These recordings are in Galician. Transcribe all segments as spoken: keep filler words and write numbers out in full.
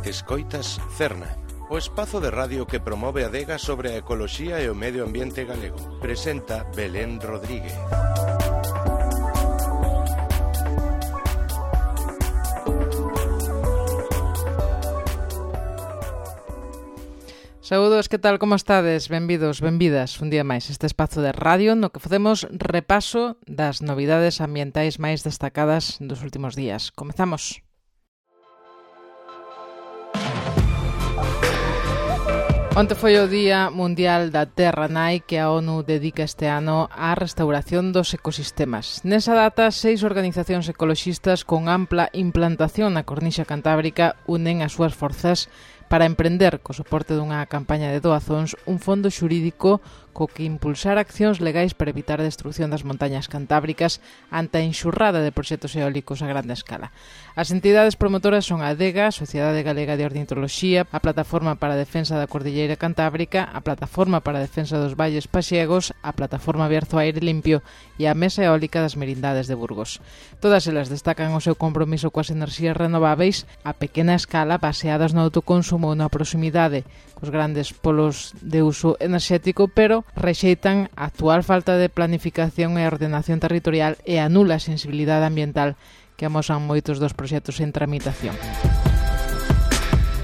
Escoitas Cerna, o espazo de radio que promove a adega sobre a ecoloxía e o medio ambiente galego. Presenta Belén Rodríguez. Saúdos, que tal, como estades? Benvidos, benvidas un día máis este espazo de radio no que facemos repaso das novidades ambientais máis destacadas dos últimos días. Comezamos. Onte foi o Día Mundial da Terra Nai que a ONU dedica este ano á restauración dos ecosistemas. Nesa data, seis organizacións ecoloxistas con ampla implantación na cornixa cantábrica unen as súas forzas para emprender, co soporte dunha campaña de doazóns, un fondo xurídico co que impulsar accións legais para evitar a destrucción das montañas cantábricas ante a enxurrada de proxectos eólicos a grande escala. As entidades promotoras son a ADEGA, a Sociedade Galega de Ornitoloxía, a Plataforma para a Defensa da Cordilleira Cantábrica, a Plataforma para a Defensa dos Valles Paxiegos, a Plataforma Bierzo Aire Limpio e a Mesa Eólica das Merindades de Burgos. Todas elas destacan o seu compromiso coas enerxías renováveis a pequena escala baseadas no autoconsumo ou na proximidade cos grandes polos de uso enerxético, pero rexeitan a actual falta de planificación e ordenación territorial e a nula sensibilidade ambiental que amosan moitos dos proxectos en tramitación.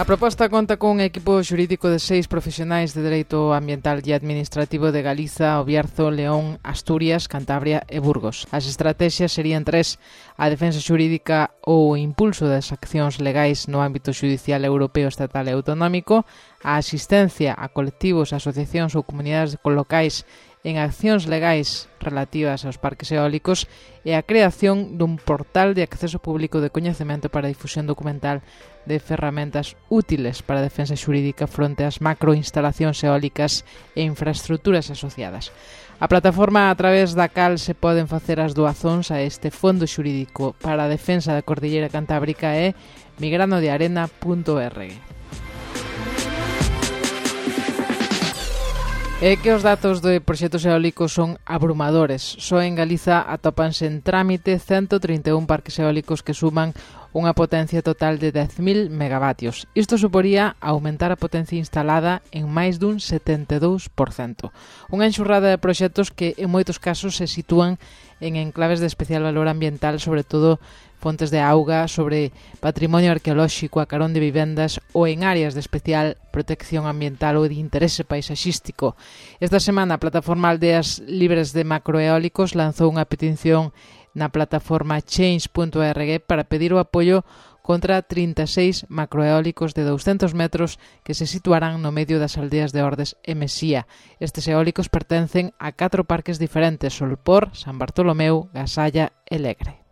A proposta conta cun equipo xurídico de seis profesionais de Dereito Ambiental e Administrativo de Galiza, O Bierzo, León, Asturias, Cantabria e Burgos. As estratexias serían tres: a defensa xurídica ou o impulso das accións legais no ámbito xudicial europeo, estatal e autonómico, a asistencia a colectivos, asociacións ou comunidades locais en accións legais relativas aos parques eólicos e a creación dun portal de acceso público de coñecemento para a difusión documental de ferramentas útiles para a defensa xurídica fronte ás macroinstalacións eólicas e infraestructuras asociadas. A plataforma a través da cal se poden facer as doazóns a este fondo xurídico para a defensa da Cordilleira Cantábrica é migranodearena punto org. É que os datos de proxectos eólicos son abrumadores. Só en Galiza atópanse en trámite ciento trinta e un parques eólicos que suman unha potencia total de dez mil megavatios. Isto suporía aumentar a potencia instalada en máis dun setenta e dous por cento. Unha enxurrada de proxectos que en moitos casos se sitúan en enclaves de especial valor ambiental, sobre todo fontes de auga, sobre patrimonio arqueolóxico a carón de vivendas ou en áreas de especial protección ambiental ou de interese paisaxístico. Esta semana a plataforma Aldeas Libres de Macroeólicos lanzou unha petición na plataforma change punto org para pedir o apoio contra trinta e seis macroeólicos de douscentos metros que se situarán no medio das aldeas de Ordes e Mesía. Estes eólicos pertencen a catro parques diferentes: Solpor, San Bartolomeu, Gasalla e Legre.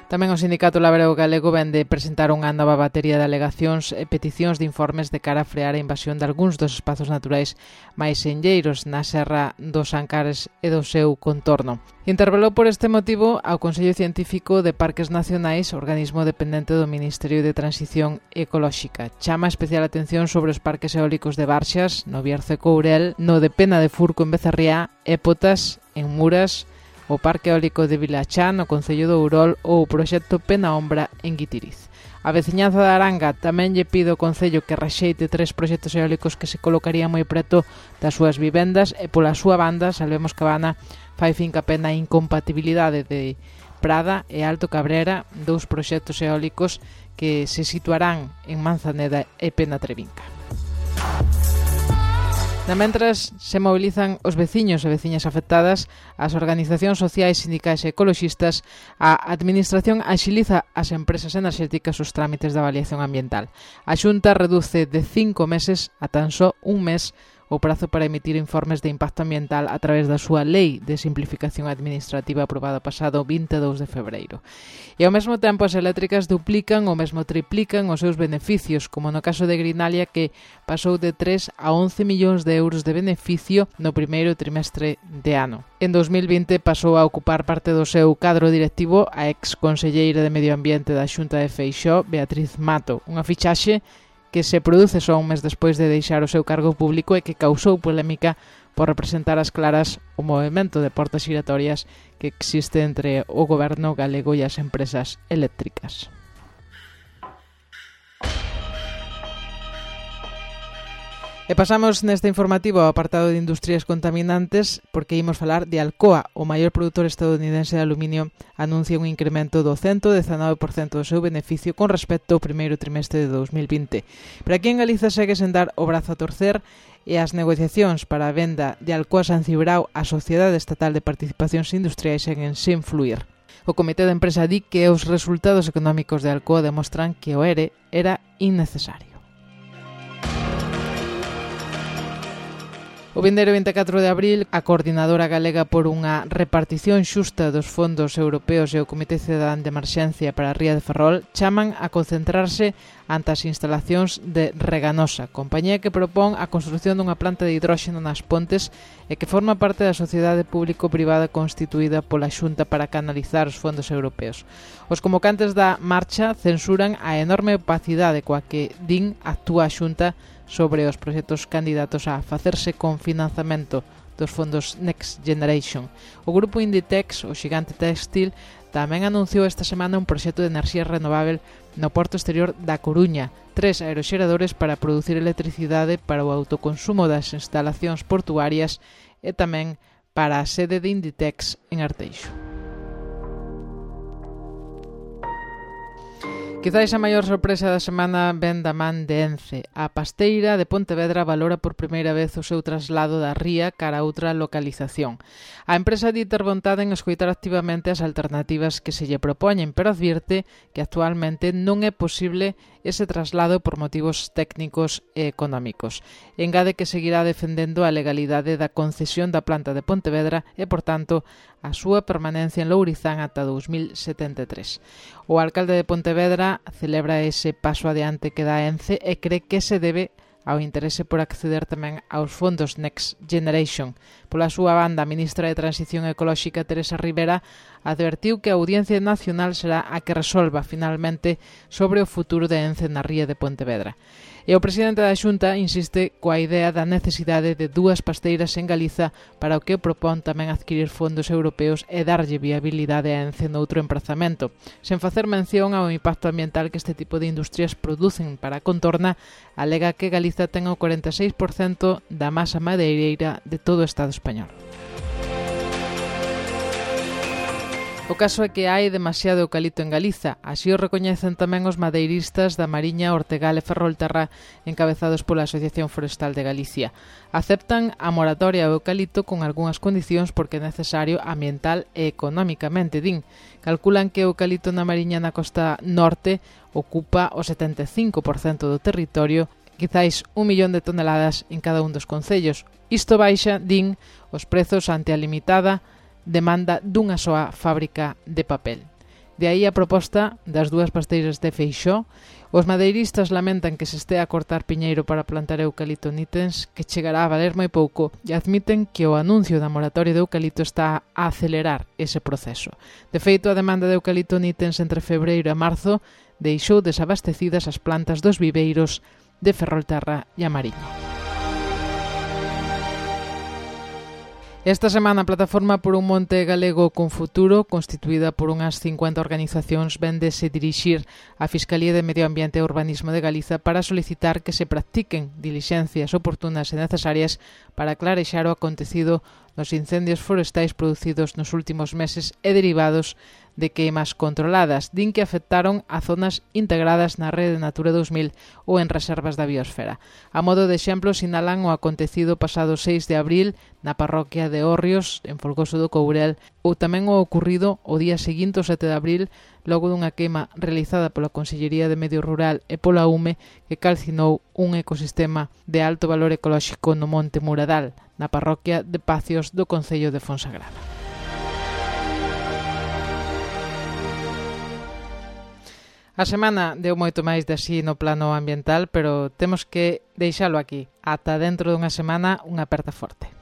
Tamén o Sindicato Labrego Galego vende presentar unha nova batería de alegacións e peticións de informes de cara a frear a invasión de algúns dos espazos naturais máis senlleiros na Serra dos Ancares e do seu contorno. Intervelou por este motivo ao Consello Científico de Parques Nacionais, organismo dependente do Ministerio de Transición Ecolóxica. Chama especial atención sobre os parques eólicos de Barxas, no Bierzo e Courel, no de Pena de Furco en Becerriá, Épotas, en Muras, o Parque Eólico de Vilachá, no Concello de Ourol, ou o proxecto Pena Ombra en Guitiriz. A veciñanza da Aranga tamén lle pide ao Concello que rexeite tres proxectos eólicos que se colocarían moi preto das súas vivendas e pola súa banda, Salvemos Cabana, fai fincapé na incompatibilidade de Prada e Alto Cabrera, dous proxectos eólicos que se situarán en Manzaneda e Penatrevinca. Na mentras, se mobilizan os veciños e veciñas afectadas, as organizacións sociais, sindicais e ecoloxistas, a Administración axiliza as empresas enerxéticas os trámites de avaliación ambiental. A Xunta reduce de cinco meses a tan só un mes o prazo para emitir informes de impacto ambiental a través da súa Lei de Simplificación Administrativa aprobada pasado vinte e dous de febreiro. E ao mesmo tempo as eléctricas duplican ou mesmo triplican os seus beneficios, como no caso de Grinalia, que pasou de tres a once millóns de euros de beneficio no primeiro trimestre de ano. En dos mil vinte pasou a ocupar parte do seu cadro directivo a ex conselleira de Medio Ambiente da Xunta de Feixóo, Beatriz Mato, unha fichaxe que se produce só un mes despois de deixar o seu cargo público e que causou polémica por representar as claras o movimento de portas giratorias que existe entre o goberno galego e as empresas eléctricas. E pasamos neste informativo ao apartado de industrias contaminantes porque imos falar de Alcoa, o maior produtor estadounidense de aluminio, anuncia un incremento do cento dezanove por cento do seu beneficio con respecto ao primeiro trimestre de dous mil vinte. Pero aquí en Galiza segue sen dar o brazo a torcer e as negociacións para a venda de Alcoa San Cibrao á Sociedade Estatal de Participacións Industriais seguen sen fluir. O Comité de Empresa di que os resultados económicos de Alcoa demostran que o ERE era innecesario. O vindeiro vinte e catro de abril, a Coordinadora Galega por unha repartición xusta dos fondos europeos e o Comité Cidadán de Emerxencia para a Ría de Ferrol chaman a concentrarse ante as instalacións de Reganosa, compañía que propón a construción dunha planta de hidróxeno nas Pontes e que forma parte da sociedade público-privada constituída pola Xunta para canalizar os fondos europeos. Os convocantes da marcha censuran a enorme opacidade coa que din actúa a Xunta sobre os proxectos candidatos a facerse con financiamento dos fondos Next Generation. O grupo Inditex, o xigante textil, tamén anunciou esta semana un proxecto de enerxía renovável no porto exterior da Coruña, tres aeroxeradores para producir electricidade para o autoconsumo das instalacións portuarias e tamén para a sede de Inditex en Arteixo. Quizais a maior sorpresa da semana ven da man de Ence. A pasteira de Pontevedra valora por primeira vez o seu traslado da ría cara a outra localización. A empresa di ter vontade en escoitar activamente as alternativas que se lle propoñen, pero advirte que actualmente non é posible ese traslado por motivos técnicos e económicos. Engade que seguirá defendendo a legalidade da concesión da planta de Pontevedra e, por tanto, a súa permanencia en Lourizán ata dous mil setenta e tres. O alcalde de Pontevedra celebra ese paso adiante que dá Ence e cree que se debe ao interese por acceder tamén aos fondos Next Generation. Pola súa banda, a ministra de Transición Ecolóxica, Teresa Rivera, advertiu que a Audiencia Nacional será a que resolva finalmente sobre o futuro de Ence na ría de Pontevedra. E o presidente da Xunta insiste coa idea da necesidade de dúas pasteiras en Galiza para o que propón tamén adquirir fondos europeos e darlle viabilidade a Ence noutro emprazamento, sen facer mención ao impacto ambiental que este tipo de industrias producen para a contorna, alega que Galiza ten o cuarenta e seis por cento da masa madeireira de todo o Estado español. O caso é que hai demasiado eucalipto en Galiza, así o recoñecen tamén os madeiristas da Mariña, Ortegal e Ferrolterra, encabezados pola Asociación Forestal de Galicia. Aceptan a moratoria ao eucalipto con algunhas condicións porque é necesario ambiental e económicamente, din. Calculan que o eucalipto na Mariña na costa norte ocupa o setenta e cinco por cento do territorio, quizáis un millón de toneladas en cada un dos concellos. Isto baixa, din, os prezos ante a limitada demanda dunha soa fábrica de papel. De aí a proposta das dúas pasteiras de Feixó. Os madeiristas lamentan que se estea a cortar piñeiro para plantar eucalipto nitens, que chegará a valer moi pouco, e admiten que o anuncio da moratoria de eucalipto está a acelerar ese proceso. De feito, a demanda de eucalipto nitens entre febreiro e marzo deixou desabastecidas as plantas dos viveiros de Ferrolterra e a Mariña. Esta semana a plataforma por un monte galego con futuro, constituída por unhas cincuenta organizacións, véndese dirixir á Fiscalía de Medio Ambiente e Urbanismo de Galiza para solicitar que se practiquen dilixencias oportunas e necesarias para clarexar o acontecido nos incendios forestais producidos nos últimos meses e derivados de queimas controladas. Din que afectaron a zonas integradas na Rede Natura dous mil ou en reservas da biosfera. A modo de exemplo, sinalan o acontecido pasado seis de abril na parroquia de Hórrios, en Folgoso do Courel, ou tamén o ocurrido o día seguinte, o sete de abril, logo dunha queima realizada pola Consellería de Medio Rural e pola U M E que calcinou un ecosistema de alto valor ecolóxico no Monte Muradal, na parroquia de Pacios do concello de Fonsagrada. A semana deu moito máis de así no plano ambiental, pero temos que deixalo aquí. Ata dentro dunha semana, unha aperta forte.